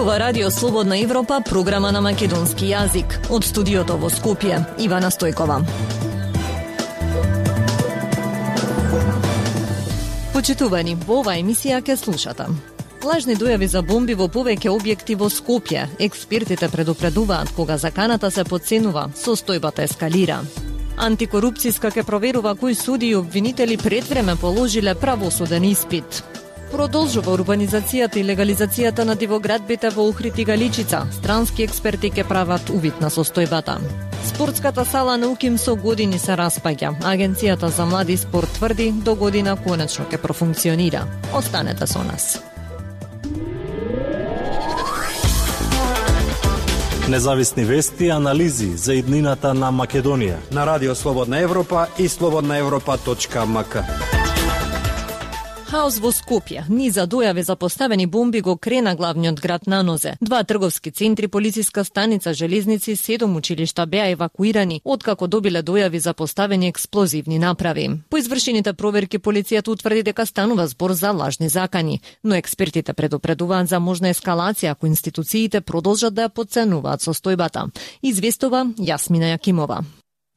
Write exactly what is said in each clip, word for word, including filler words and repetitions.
Ова Радио Слободна Европа, програма на македонски јазик. Од студиото во Скопје, Ивана Стојкова. Почитувани, во оваа емисија ќе слушате. Лажни дојави за бомби во повеќе објекти во Скопје. Експертите предупредуваат кога заканата се потценува, состојбата ескалира. Антикорупцијска ќе проверува кои суди и обвинители пред време положиле правосуден испит. Продолжува урбанизацијата и легализацијата на дивоградбите во Охрид и Галичица. Странски експерти ќе прават увид на состојбата. Спортската сала на УКИМ со години се распаѓа. Агенцијата за млади спорт тврди до година конечно ќе профункционира. Останете со нас. Независни вести и анализи за иднината на Македонија на Радио Слободна Европа и слободна европа точка ем ка. Хаос во Скопје. Низа дојави за поставени бомби го крена главниот град на нозе. Два трговски центри, полициска станица, железници, седум училишта беа евакуирани, откако добиле дојави за поставени експлозивни направи. По извршените проверки полицијата утврди дека станува збор за лажни закани, но експертите предупредуваат за можна ескалација ако институциите продолжат да ја потценуваат состојбата. Известува Јасмина Јакимова.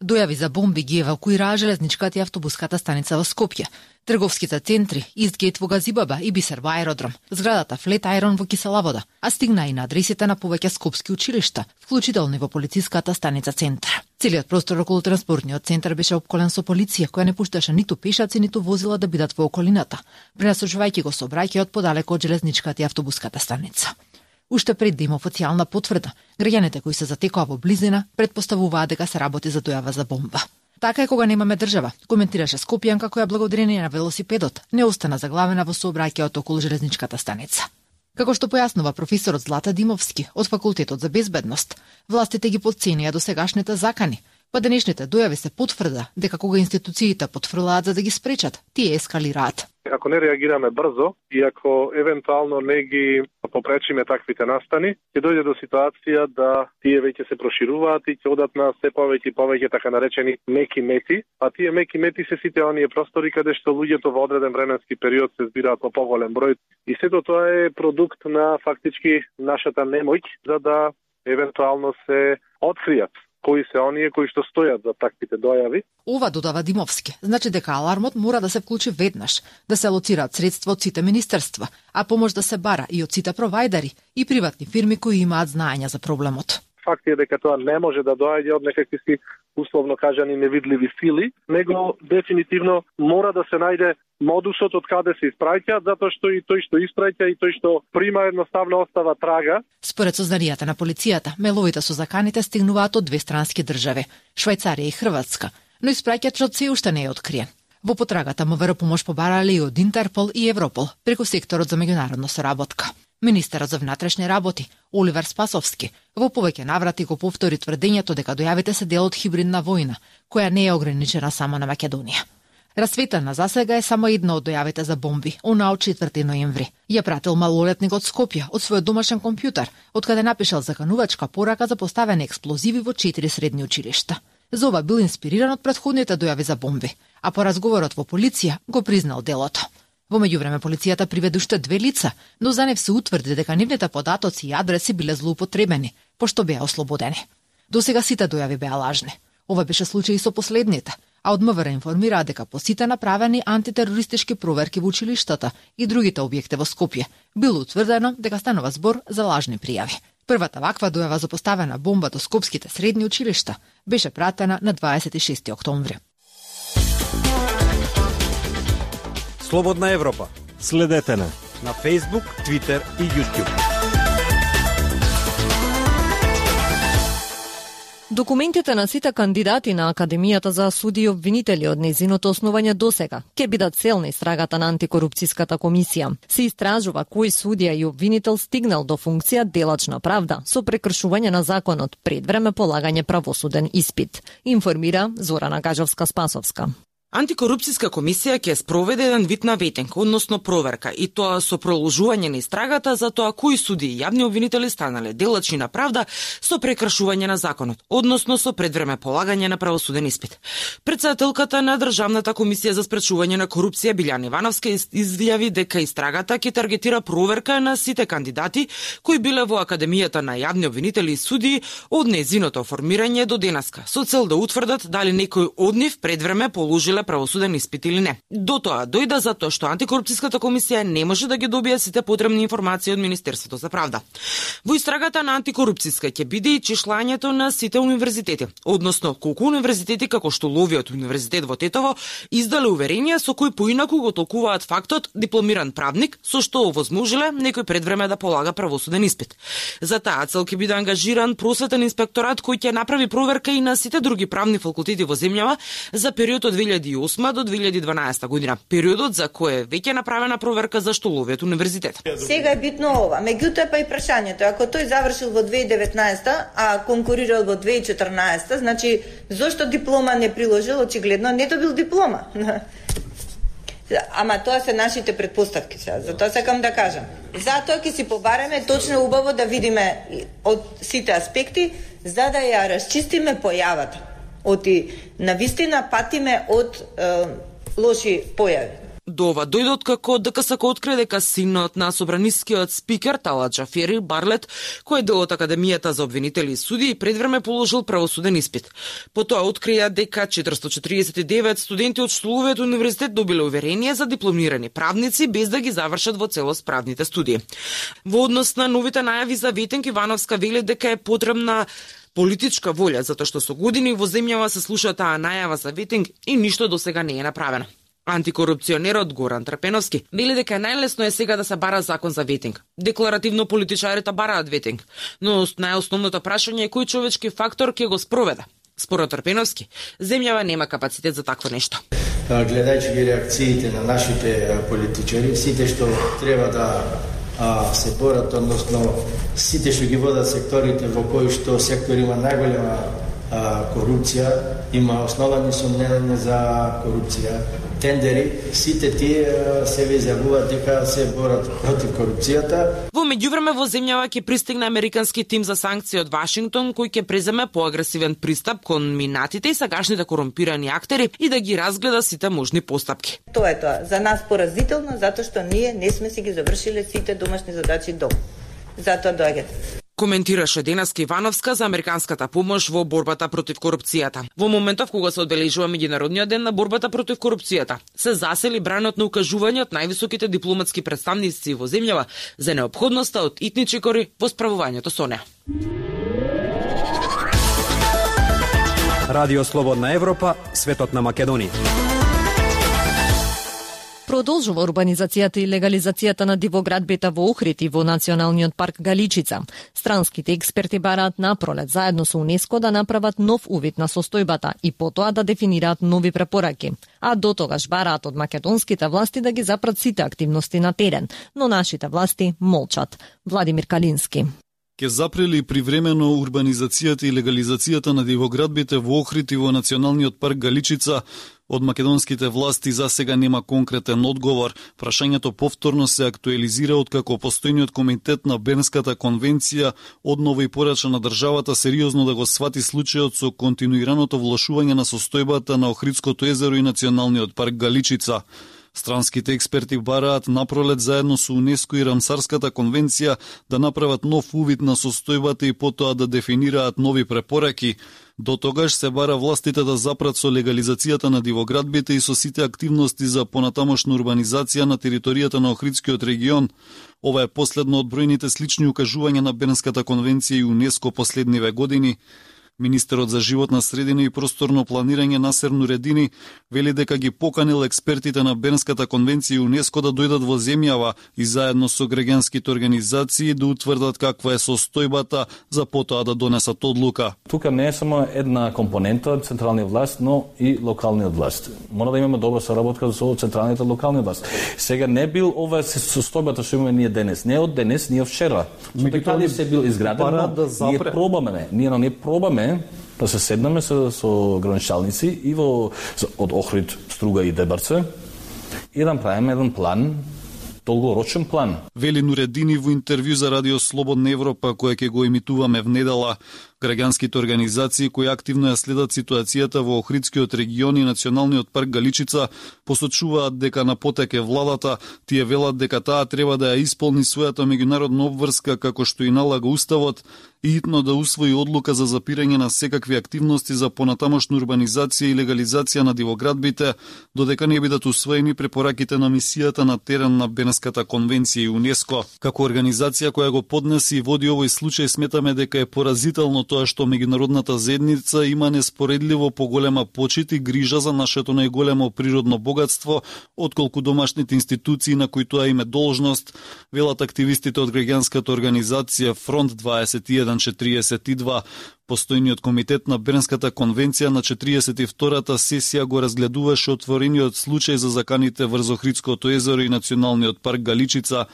Дојави за бомби ги евакуираа железничката и автобуската станица во Скопје, трговските центри, Истгейт во Газибаба и Бисер во аеродром, зградата Флет Айрон во Кисела Вода, а стигна и на адресите на повеќе скопски училишта, вклучително и во полициската станица Центар. Целиот простор околу транспортниот центар беше опколен со полиција, која не пушташе ниту пешаци, ниту возила да бидат во околината, пренасочувајќи го сообраќајот подалеку од железничката и автобуската станица. Уште пред да има официјална потврда, граѓаните кои се затекоа во близина претпоставуваат дека се работи за дојава за бомба. Така е кога немаме држава, коментираше скопјанка која благодарение на велосипедот не остана заглавена во сообраќајот околу железничката станица. Како што појаснува професорот Злата Димовски од Факултетот за безбедност, властите ги потценија досегашните закани, па денешните дојави се потврда дека кога институциите потфрлаат за да ги спречат, тие ескалираат. Ако не реагираме брзо и ако евентуално не ги попречиме таквите настани, ќе дојде до ситуација да тие веќе се прошируваат и ќе одат на се повеќе и повеќе така наречени меки мети, а тие меки мети се сите оние простори каде што луѓето во одреден временски период се збираат во поголем број. И сето тоа е продукт на фактички нашата немоќ за да евентуално се откријат кои се оние кои што стојат за таквите дојави. Ова, додава Димовски, значи дека алармот мора да се вклучи веднаш, да се алоцираат средства од сите министерства, а помош да се бара и од сите провајдери и приватни фирми кои имаат знаење за проблемот. Факт е дека тоа не може да доаѓа од некакви си условно кажани невидливи сили, него дефинитивно мора да се најде модусот од каде се испраќаат, затоа што и тој што испраќа и тој што прима едноставно остава трага. Според сознанијата на полицијата, меловите со заканите стигнуваат од две странски држави, Швајцарија и Хрватска, но испраќачот се уште не е откриен. Во потрагата МВР помош побарале и од Интерпол и Европол преку секторот за меѓународна соработка. Министерот за внатрешни работи, Оливер Спасовски, во повеќе наврати го повтори тврдењето дека дојавите се дел од хибридна војна, која не е ограничена само на Македонија. Расветена засега е само една од дојавите за бомби, она од четврти ноември. Ја пратил малолетник од Скопје од својот домашен компјутер, од каде напишал заканувачка порака за поставени експлозиви во четири средни училишта. За ова бил инспириран од претходните дојави за бомби, а по разговорот во полиција го признал делото. Во меѓувреме полицијата приведе уште две лица, но за нив се утврди дека нивните податоци и адреси биле злоупотребени, пошто беа ослободени. Досега сите дојави беа лажни. Ова беше случај и со последните, а од МВР информираа дека по сите направени антитерористички проверки во училиштата и другите објекти во Скопје било утврдено дека станува збор за лажни пријави. Првата ваква дојава за поставена бомба до скопските средни училишта беше пратена на дваесет и шести октомври. Слободна Европа. Следете на на Facebook, Twitter и YouTube. Документите на сите кандидати на Академијата за суди и обвинители од незиното основање досега ќе бидат цел на истрагата на антикорупцијската комисија. Се истражува кој судија и обвинител стигнал до функција делачна правда со прекршување на законот пред време полагање правосуден испит, информира Зорана Гажовска-Спасовска. Антикорупцијска комисија ќе спроведе еден вид на ветинг, односно проверка, и тоа со продолжување на истрагата за тоа кои суди и јавни обвинители станале делачи на правда со прекршување на законот, односно со предвреме полагање на правосуден испит. Претседателката на Државната комисија за спречување на корупција Билјана Ивановска изјави дека истрагата ќе таргетира проверка на сите кандидати кои биле во Академијата на јавни обвинители и судии од нејзиното формирање до денеска, со цел да утврдат дали некој од нив предвреме положиле правосуден испит или не. До тоа дојде затоа што Антикорупцијската комисија не може да ги добие сите потребни информации од Министерството за правда. Во истрагата на Антикорупцијска ќе биде и чешлањето на сите универзитети, односно колку универзитети како што Ловиот универзитет во Тетово издале уверенија со кои поинаку го толкуваат фактот дипломиран правник, со што овозможиле некој предвреме да полага правосуден испит. За таа цел ќе биде ангажиран просветен инспекторат кој ќе направи проверка и на сите други правни факултети во земјава за период од две илјади и осма до две илјади и дванаесета година, периодот за кој е веќе направена проверка за Штоловиот универзитет. Сега е битно ова, меѓутоа па и прашањето, ако тој завршил во две илјади и деветнаесета, а конкурирал во две илјади и четрнаесета, значи зошто диплома не приложил, очигледно не добил диплома. Ама тоа се нашите предпоставки, затоа сакам да кажам. Затоа ќе си побареме точно убаво да видиме од сите аспекти, за да ја расчистиме појавата. Оти навистина патиме од е, лоши појави. До ова дојде откако ДКСК открие дека синот на собранискиот спикер Талат Џафери Барлет, кој е дел од Академијата за обвинители и судии, предвреме положил правосуден испит. Потоа открија дека четиристотини четиридесет и девет студенти од Штоловиот универзитет добиле уверение за дипломирани правници без да ги завршат во целост правните студии. Во однос на новите најави за ветинг, Ивановска вели дека е потребна политичка волја, затоа што со години во земјава се слуша таа најава за ветинг и ништо досега не е направено. Антикорупционерот Горан Трпеновски вели дека најлесно е сега да се бара закон за ветинг. Декларативно политичарите бараат ветинг, но најосновното прашање е кој човечки фактор ќе го спроведе. Според Трпеновски, земјава нема капацитет за такво нешто. Гледајќи ги реакциите на нашите политичари, сите што треба да а, се борат, односно сите што ги водат секторите во кои што сектор има најголема а, корупција, има основани сомнења за корупција, тендери, сите тие се изјавуваат дека се борат против корупцијата. Во меѓувреме во земјава ќе пристигне американски тим за санкции од Вашингтон кој ќе преземе поагресивен пристап кон минатите и сагашните корумпирани актери и да ги разгледа сите можни постапки. Тоа е тоа. За нас поразително, затоа што ние не сме си ги завршиле сите домашни задачи до. Затоа доаѓате. Коментираше денеска Ивановска за американската помош во борбата против корупцијата. Во моментов кога се одбележува меѓународниот ден на борбата против корупцијата, се засели бранот на укажување од највисоките дипломатски представници во земјава за неопходноста од итни чекори во справувањето со неа. Радио Слободна Европа, светот на Македонија. Продолжува урбанизацијата и легализацијата на дивоградбета во Охрид и во Националниот парк Галичица. Странските експерти бараат напролет заедно со УНЕСКО да направат нов увид на состојбата и потоа да дефинираат нови препораки. А до тогаш бараат од македонските власти да ги запрат сите активности на терен, но нашите власти молчат. Владимир Калински. Ке запрели привремено урбанизацијата и легализацијата на дивоградбите во Охрид и во Националниот парк Галичица. Од македонските власти за сега нема конкретен одговор. Прашањето повторно се актуализира откако постојниот комитет на Бернската конвенција одново и порача на државата сериозно да го свати случајот со континуираното влошување на состојбата на Охридското езеро и Националниот парк Галичица. Странските експерти бараат напролет заедно со УНЕСКО и Рамсарската конвенција да направат нов увид на состојбата и потоа да дефинираат нови препораки. До тогаш се бара властите да запрат со легализацијата на дивоградбите и со сите активности за понатамошна урбанизација на територијата на Охридскиот регион. Ова е последно од бројните слични укажувања на Бернската конвенција и УНЕСКО последниве години. Министерот за животна средина и просторно планирање Насер Нуредини вели дека ги поканил експертите на Бернската конвенција и УНЕСКО да дојдат во земјава и заедно со граѓанските организации да утврдат каква е состојбата за потоа да донесат одлука. Тука не е само една компонента од централниот власт, но и локалниот власт. Мора да имаме добра соработка со централните локални власт. Сега не бил ова состојбата што имаме ние денес, не од денес, не од вчера. Меѓутоа се бил изграден, да ние пробаме, ние не пробаме да се седнеме со, со граничалници и во од Охрид, Струга и Дебарце и да правиме еден план, долгорочен план. Вели Нуредини во интервју за Радио Слободна Европа, која ќе го емитуваме внедела. Граѓанските организации кои активно ја следат ситуацијата во Охридскиот регион и Националниот парк Галичица посочуваат дека на потек е владата, тие велат дека таа треба да ја исполни својата меѓународна обврска како што и налага уставот и итно да усвои одлука за запирање на секакви активности за понатамошна урбанизација и легализација на дивоградбите, додека не бидат усвоени препораките на мисијата на терен на Бенеската конвенција и УНЕСКО. Како организација која го поднеси и води овој случај, сметаме дека е поразително тоа што меѓународната заедница има неспоредливо поголема почит и грижа за нашето најголемо природно богатство, отколку домашните институции на кои тоа име должност, велат активистите од граѓанската организација Фронт дваесет и еден четириесет и два. Постојниот комитет на Бернската конвенција на четириесет и втората сесија го разгледуваше отворениот случај за заканите врз Охридското езеро и Националниот парк Галичица.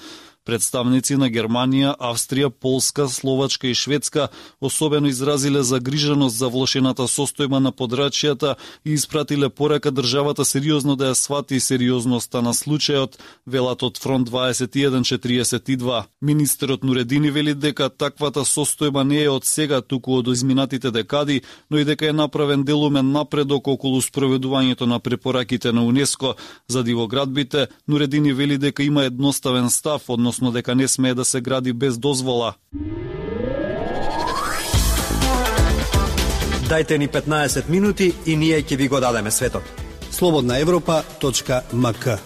Представници на Германија, Австрија, Полска, Словачка и Шведска особено изразиле загриженост за влошената состојба на подрачјата и испратиле порака државата сериозно да ја свати сериозноста на случајот, велат од Фронт дваесет и еден четириесет и два. Министерот Нуредини вели дека таквата состојба не е од сега, туку од изминатите декади, но и дека е направен делумен напредок околу спроведувањето на препораките на УНЕСКО за дивоградбите. Нуредини вели дека има едноставен став, односно дека не смее да се гради без дозвола. Дајте ни петнаесет минути и ние ќе ви го дадеме светот. слободна европа точка ем ка.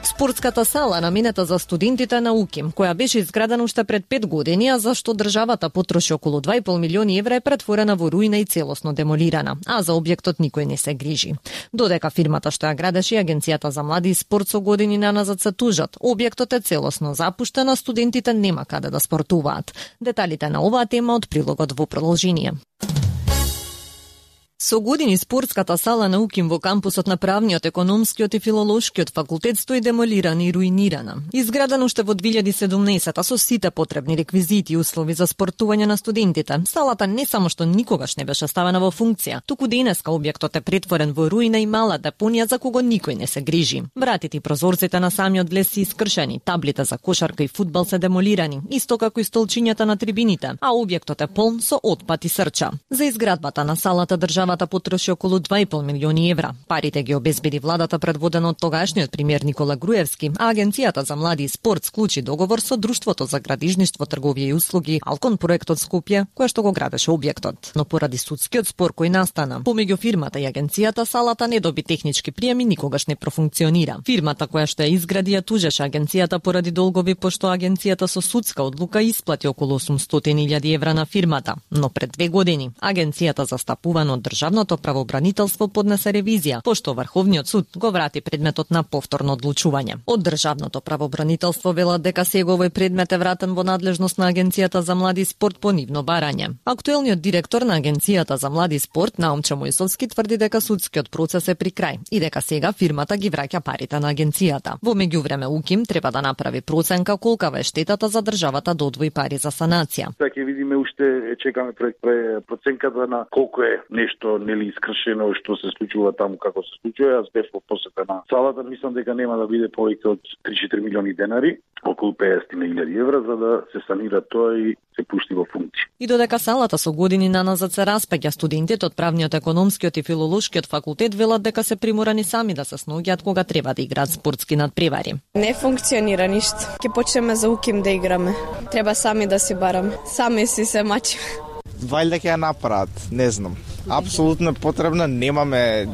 Спортската сала наменета за студентите на УКИМ, која беше изградена уште пред пет години, а за што државата потроши околу два и пол милиони евра, е претворена во руина и целосно демолирана, а за објектот никој не се грижи. Додека фирмата што ја градеше и Агенцијата за млади и спорт со години наназад се тужат, објектот е целосно запуштен, а студентите нема каде да спортуваат. Деталите на оваа тема од прилогот во продолжение. Со години спортската сала на УКИМ во кампусот на правниот, економскиот и филолошкиот факултет стои демолирана и руинирана. Изградена уште во две илјади и седумнаесета со сите потребни реквизити и услови за спортување на студентите, салата не само што никогаш не беше ставена во функција, туку денеска објектот е претворен во руина и мала депонија за кого никој не се грижи. Вратите и прозорците на самиот влез се искршени, таблите за кошарка и фудбал се демолирани, исто како и столчињата на трибините, а објектот е полн со отпад и срча. За изградбата на салата државата потроши околу два и пол милиони евра. Парите ги обезбеди владата предводена од тогашниот премиер Никола Груевски, а Агенцијата за млади и спорт склучи договор со Друштвото за градижништво, трговија и услуги Алкон проектот Скопје, која што го градеше објектот. Но поради судскиот спор кој настана помеѓу фирмата и агенцијата, салата не доби технички прием и никогаш не профункционира. Фирмата која што ја изгради ја тужеше агенцијата поради долгови, пошто агенцијата со судска одлука исплати околу осумстотини илјади евра на фирмата. Но пред две години агенцијата застапувана од Државното правобранителство поднесе ревизија, пошто Врховниот суд го врати предметот на повторно одлучување. Од Државното правобранителство велат дека сега овој предмет е вратен во надлежност на Агенцијата за млади и спорт по нивно барање. Актуелниот директор на Агенцијата за млади и спорт, Наумче Мојсовски, тврди дека судскиот процес е при крај и дека сега фирмата ги враќа парите на агенцијата. Во меѓувреме УКИМ треба да направи проценка колкава е штетата за државата да одвои пари за санација. Така ќе видиме уште, чекаме проценката на колку е нешто нели искршено што се случува таму како се случува. Јас бев во посета на салата, мислам дека нема да биде повеќе од три-четири милиони денари, околу песет илјади евра за да се санира тоа и се пушти во функција. И додека салата со години наназад се распаѓа, студентите од правниот, економскиот и филолошкиот факултет велат дека се приморани сами да се снаоѓаат кога треба да играат спортски надпревари. Не функционира ништо. Ќе почнеме за УКИМ да играме. Треба сами да си бараме. Сами си се мачиме. Вајде ќе ја направат, не знам. Апсолутно потребна, немаме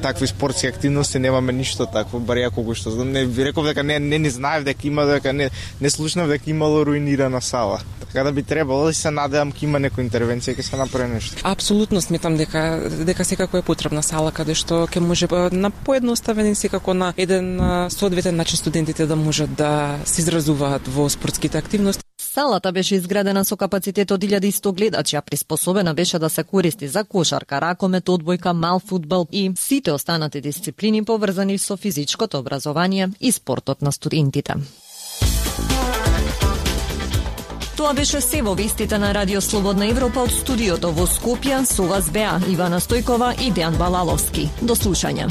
такви спортски активности, немаме ништо такво, бар ја колку што знам. Не ви реков дека не не ни знаев дека има, дека не не слушнав дека имало руинирана сала. Така да би требало да се надевам ќе има некоја интервенција, ќе се направи нешто. Апсолутно сметам дека дека секако е потребна сала каде што ќе може на поедноставен и секако на еден соодветен начин студентите да можат да се изразуваат во спортските активности. Салата беше изградена со капацитет од илјада и сто гледачи, а приспособена беше да се користи за кошарка, ракомет, одбојка, мал фудбал и сите останати дисциплини поврзани со физичкото образование и спортот на студентите. Тоа беше се во вестите на Радио Слободна Европа од студиото во Скопје. Со вас беа Ивана Стојкова и Дејан Балаловски. До слушање.